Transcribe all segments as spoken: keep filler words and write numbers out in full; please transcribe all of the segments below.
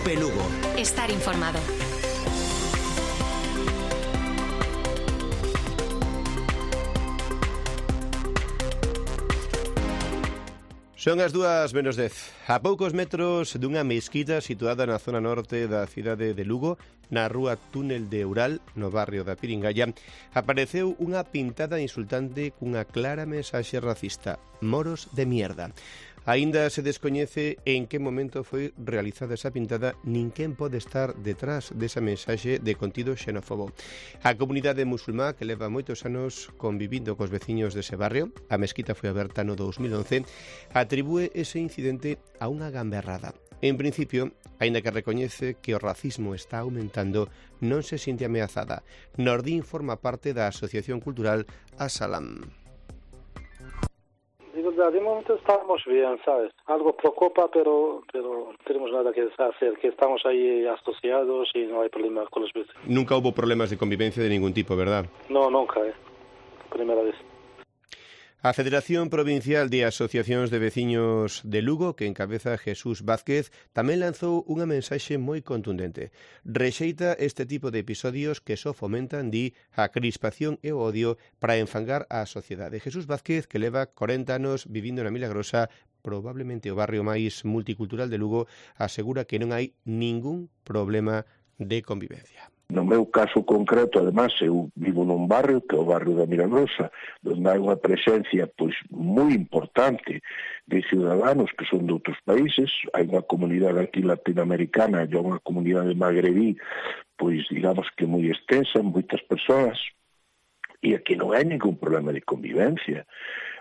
Cope Lugo. Estar informado. Son as dúas menos dez. A poucos metros dunha mesquita situada na zona norte da cidade de Lugo, na rúa Túnel de Eural, no barrio da Piringalla, apareceu unha pintada insultante cunha clara mensaxe racista: moros de mierda. Aínda se descoñece en que momento foi realizada esa pintada nin quen pode estar detrás desa mensaxe de contido xenófobo. A comunidade musulmá, que leva moitos anos convivindo cos veciños dese barrio, a mesquita foi aberta no dous mil once, atribúe ese incidente a unha gamberrada. En principio, aínda que recoñece que o racismo está aumentando, non se sinte ameazada. Nordín forma parte da Asociación Cultural As-Salam. De momento estamos bien, ¿sabes? Algo preocupa, pero pero no tenemos nada que hacer, que estamos ahí asociados y no hay problema con los vecinos. Nunca hubo problemas de convivencia de ningún tipo, ¿verdad? No, nunca, ¿eh? Primera vez. A Federación Provincial de Asociacións de Veciños de Lugo, que encabeza Jesús Vázquez, tamén lanzou unha mensaxe moi contundente. Rexeita este tipo de episodios que só fomentan, di, a crispación e o odio para enfangar a sociedade. Jesús Vázquez, que leva corenta anos vivindo na Milagrosa, probablemente o barrio máis multicultural de Lugo, asegura que non hai ningún problema de convivencia. No meu caso concreto, además, eu vivo nun barrio, que é o barrio da Milagrosa, onde hai unha presencia pois moi importante de ciudadanos que son de outros países. Hai unha comunidade aquí latinoamericana e unha comunidade magrebí, pois digamos que moi extensa, moitas persoas, e aquí non hai ningún problema de convivencia.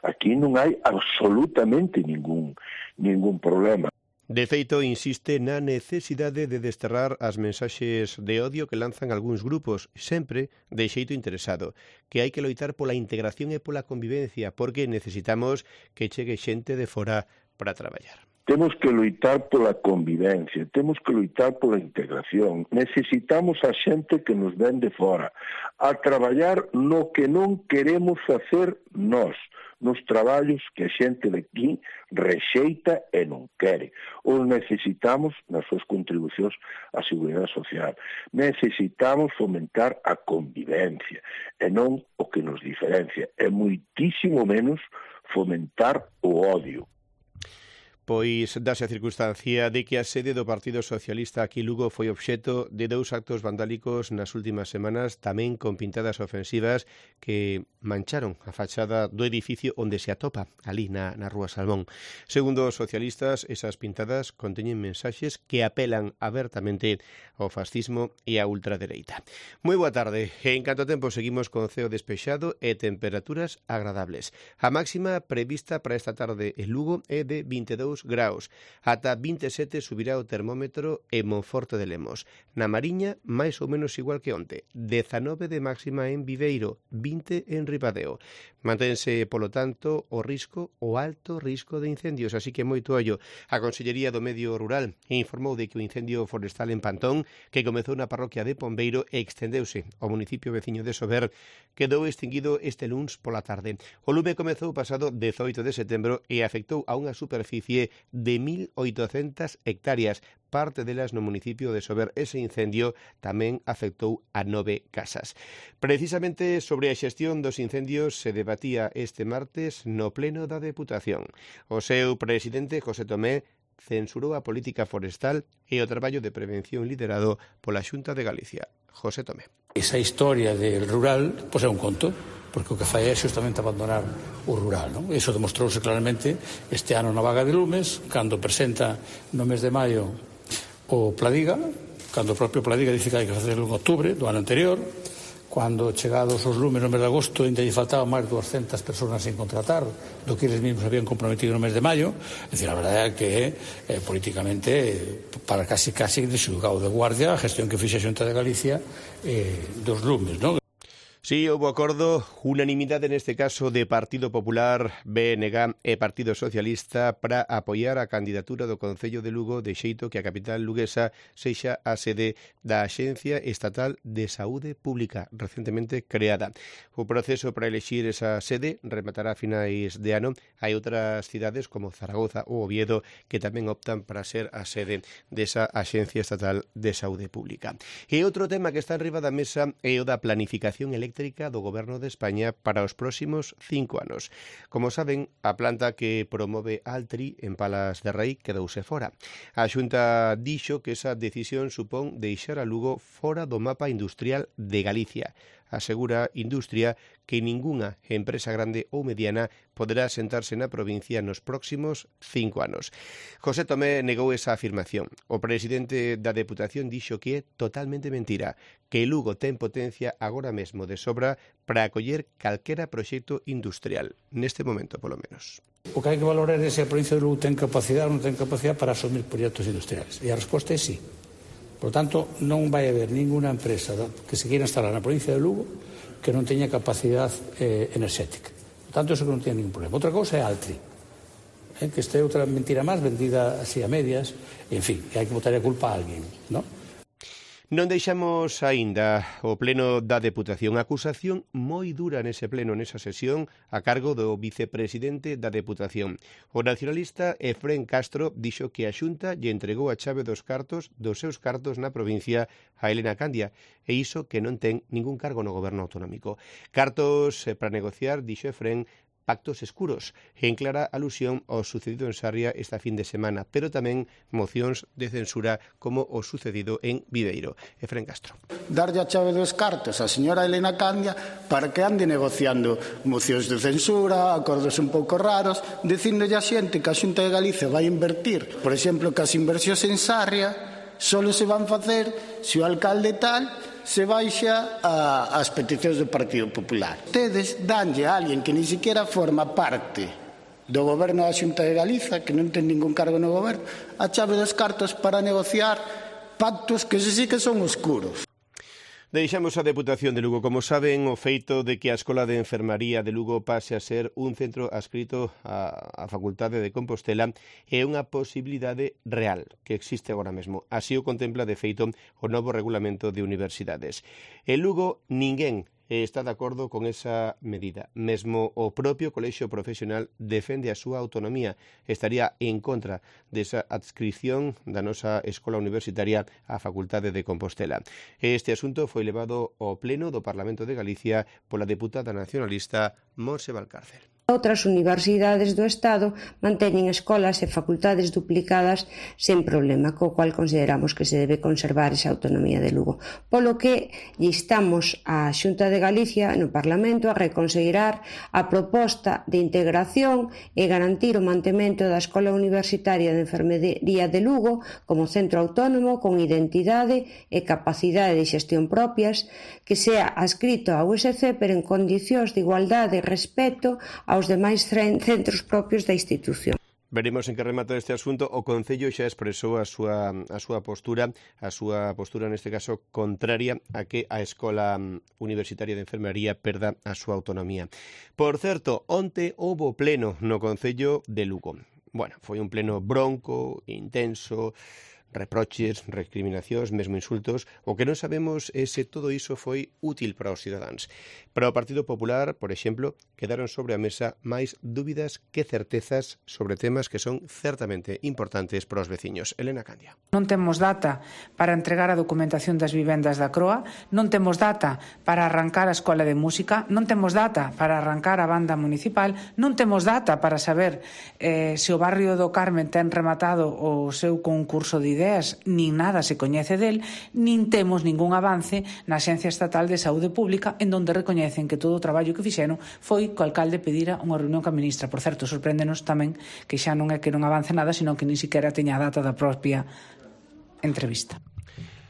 Aquí non hai absolutamente ningún, ningún problema. De feito, insiste na necesidade de desterrar as mensaxes de odio que lanzan algúns grupos, sempre de xeito interesado, que hai que loitar pola integración e pola convivencia, porque necesitamos que chegue xente de fora para traballar. Temos que loitar pola convivencia, temos que loitar pola integración. Necesitamos a xente que nos ven de fora, a traballar no que non queremos facer nós, nos traballos que a xente de aquí rexeita e non quere. Ou necesitamos nas súas contribucións á seguridade social. Necesitamos fomentar a convivencia e non o que nos diferencia. E moitísimo menos fomentar o odio. Pois dase a circunstancia de que a sede do Partido Socialista aquí Lugo foi obxecto de dous actos vandálicos nas últimas semanas, tamén con pintadas ofensivas que mancharon a fachada do edificio onde se atopa, ali na, na Rúa Salmón. Segundo os socialistas, esas pintadas conteñen mensaxes que apelan abertamente ao fascismo e á ultradereita. Moi boa tarde. En canto tempo seguimos con ceo despexado e temperaturas agradables. A máxima prevista para esta tarde en Lugo é de vinte e dous graus. Ata vinte e sete subirá o termómetro en Monforte de Lemos. Na Mariña, máis ou menos igual que onte. dezanove de máxima en Viveiro, vinte en Ribadeo. Mantense, polo tanto, o risco, o alto risco de incendios, así que moito ollo. A Consellería do Medio Rural informou de que o incendio forestal en Pantón, que comezou na parroquia de Pombeiro e extendeuse ao municipio veciño de Sober, quedou extinguido este luns pola tarde. O lume comezou pasado dezoito de setembro e afectou a unha superficie de mil oitocentas hectáreas, parte delas no municipio de Sober. Ese incendio tamén afectou a nove casas. Precisamente sobre a xestión dos incendios se debatía este martes no pleno da Deputación. O seu presidente, José Tomé, censurou a política forestal e o traballo de prevención liderado pola Xunta de Galicia. José Tomé. Esa historia del rural, pois é un conto, porque o que fai é xustamente abandonar o rural, non? Iso demostrouse claramente este ano na vaga de lumes, cando presenta no mes de maio o Pladiga, cando o propio Pladiga dice que hai que facerlo en outubro do ano anterior, cando chegados os lumes no mes de agosto ainda lle faltaban máis de duascentas persoas sin contratar do que eles mesmos habían comprometido no mes de maio. É dicir, a verdade é que eh, políticamente para casi casi de xulgado de guardia a gestión que fixe a Xunta de Galicia eh, dos lumes, non? Sí, houve acordo, unanimidade neste caso de Partido Popular, B N G e Partido Socialista para apoiar a candidatura do Concello de Lugo de xeito que a capital luguesa sexa a sede da Axencia Estatal de Saúde Pública, recentemente creada. O proceso para elexir esa sede rematará a finais de ano. Hai outras cidades como Zaragoza ou Oviedo que tamén optan para ser a sede desa Axencia Estatal de Saúde Pública. E outro tema que está enriba da mesa é o da planificación eléctrica do Goberno de España para os próximos cinco anos. Como saben, a planta que promove Altri en Palas de Rei quedouse fora. A Xunta dixo que esa decisión supón deixar a Lugo fora do mapa industrial de Galicia. Asegura Industria que ningunha empresa grande ou mediana poderá sentarse na provincia nos próximos cinco anos. José Tomé negou esa afirmación. O presidente da Deputación dixo que é totalmente mentira, que Lugo ten potencia agora mesmo de sobra para acoller calquera proxecto industrial, neste momento polo menos. O que hai que valorar é se a provincia de Lugo ten capacidade ou non ten capacidade para asumir proxectos industriales. E a resposta é sí. Por tanto, non vai haber ninguna empresa que se queira instalar na provincia de Lugo que non teña capacidade eh, enerxética. Por tanto, eso que non ten ningún problema. Outra cousa é Altri, eh, que este é outra mentira máis vendida así a medias, en fin, que hai que botar a culpa a alguén, non? Non deixamos aínda o pleno da Deputación. Acusación moi dura nese pleno, nesa sesión, a cargo do vicepresidente da Deputación. O nacionalista Efrén Castro dixo que a Xunta lle entregou a chave dos cartos dos seus cartos na provincia a Elena Candia, e iso que non ten ningún cargo no goberno autonómico. Cartos eh, para negociar, dixo Efrén, pactos escuros, en clara alusión ao sucedido en Sarria esta fin de semana, pero tamén mocións de censura como o sucedido en Viveiro. Efrén Castro. Darlle a chave dos cartos a señora Elena Candia para que ande negociando mocións de censura, acordos un pouco raros, dicíndolle a xente que a Xunta de Galicia vai invertir, por exemplo, que as inversións en Sarria solo se van facer se o alcalde tal se baixa a, as peticións do Partido Popular. Tedes danlle a alguén que ni siquiera forma parte do goberno da Xunta de Galiza, que non ten ningún cargo no goberno, a chave dos cartos para negociar pactos que se sí que son oscuros. Deixamos a Deputación de Lugo. Como saben, o feito de que a Escola de Enfermaría de Lugo pase a ser un centro adscrito á, á Facultade de Compostela é unha posibilidade real que existe agora mesmo. Así o contempla, de feito, o novo regulamento de universidades. En Lugo, ninguén está de acordo con esa medida. Mesmo o propio colexio profesional defende a súa autonomía. Estaría en contra desa adscripción da nosa escola universitaria á Facultade de Compostela. Este asunto foi levado ao Pleno do Parlamento de Galicia pola deputada nacionalista Montse Valcárcel. Outras universidades do Estado manteñen escolas e facultades duplicadas sen problema, co cual consideramos que se debe conservar esa autonomía de Lugo. Polo que instamos a Xunta de Galicia no Parlamento a reconsiderar a proposta de integración e garantir o mantemento da Escola Universitaria de Enfermería de Lugo como centro autónomo con identidade e capacidade de xestión propias, que sea adscrito á U S C pero en condicións de igualdade e respeto a aos demais centros propios da institución. Veremos en que remata este asunto. O Concello xa expresou a súa, a súa postura, a súa postura neste caso contraria a que a Escola Universitaria de Enfermería perda a súa autonomía. Por certo, onte houbo pleno no Concello de Lugo. Bueno, foi un pleno bronco, intenso, reproches, recriminacións, mesmo insultos. O que non sabemos é se todo iso foi útil para os cidadáns. Para o Partido Popular, por exemplo, quedaron sobre a mesa máis dúbidas que certezas sobre temas que son certamente importantes para os veciños. Elena Candia. Non temos data para entregar a documentación das vivendas da Croa, non temos data para arrancar a Escola de Música, non temos data para arrancar a banda municipal, non temos data para saber eh, se o barrio do Carmen ten rematado o seu concurso de ideas, nin nada se coñece del, nin temos ningún avance na Axencia Estatal de Saúde Pública, en donde recoñecen que todo o traballo que fixeron foi que o alcalde pedira unha reunión coa ministra. Por certo, sorpréndenos tamén que xa non é que non avance nada, sino que nin siquiera teña a data da propia entrevista.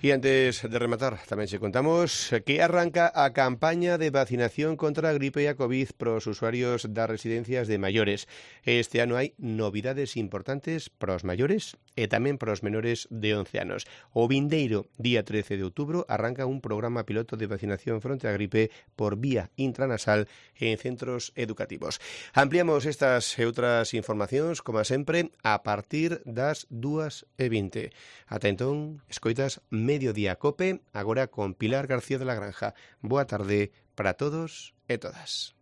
E antes de rematar, tamén se contamos que arranca a campaña de vacinación contra a gripe e a COVID para os usuarios das residencias de maiores. Este ano hai novidades importantes para os maiores e tamén para os menores de once anos. O vindeiro día trece de outubro arranca un programa piloto de vacinación fronte á gripe por vía intranasal en centros educativos. Ampliamos estas e outras informacións, como sempre, a partir das dúas e vinte. Ata entón, escoitas Mediodía Cope, agora con Pilar García de la Granja. Boa tarde para todos e todas.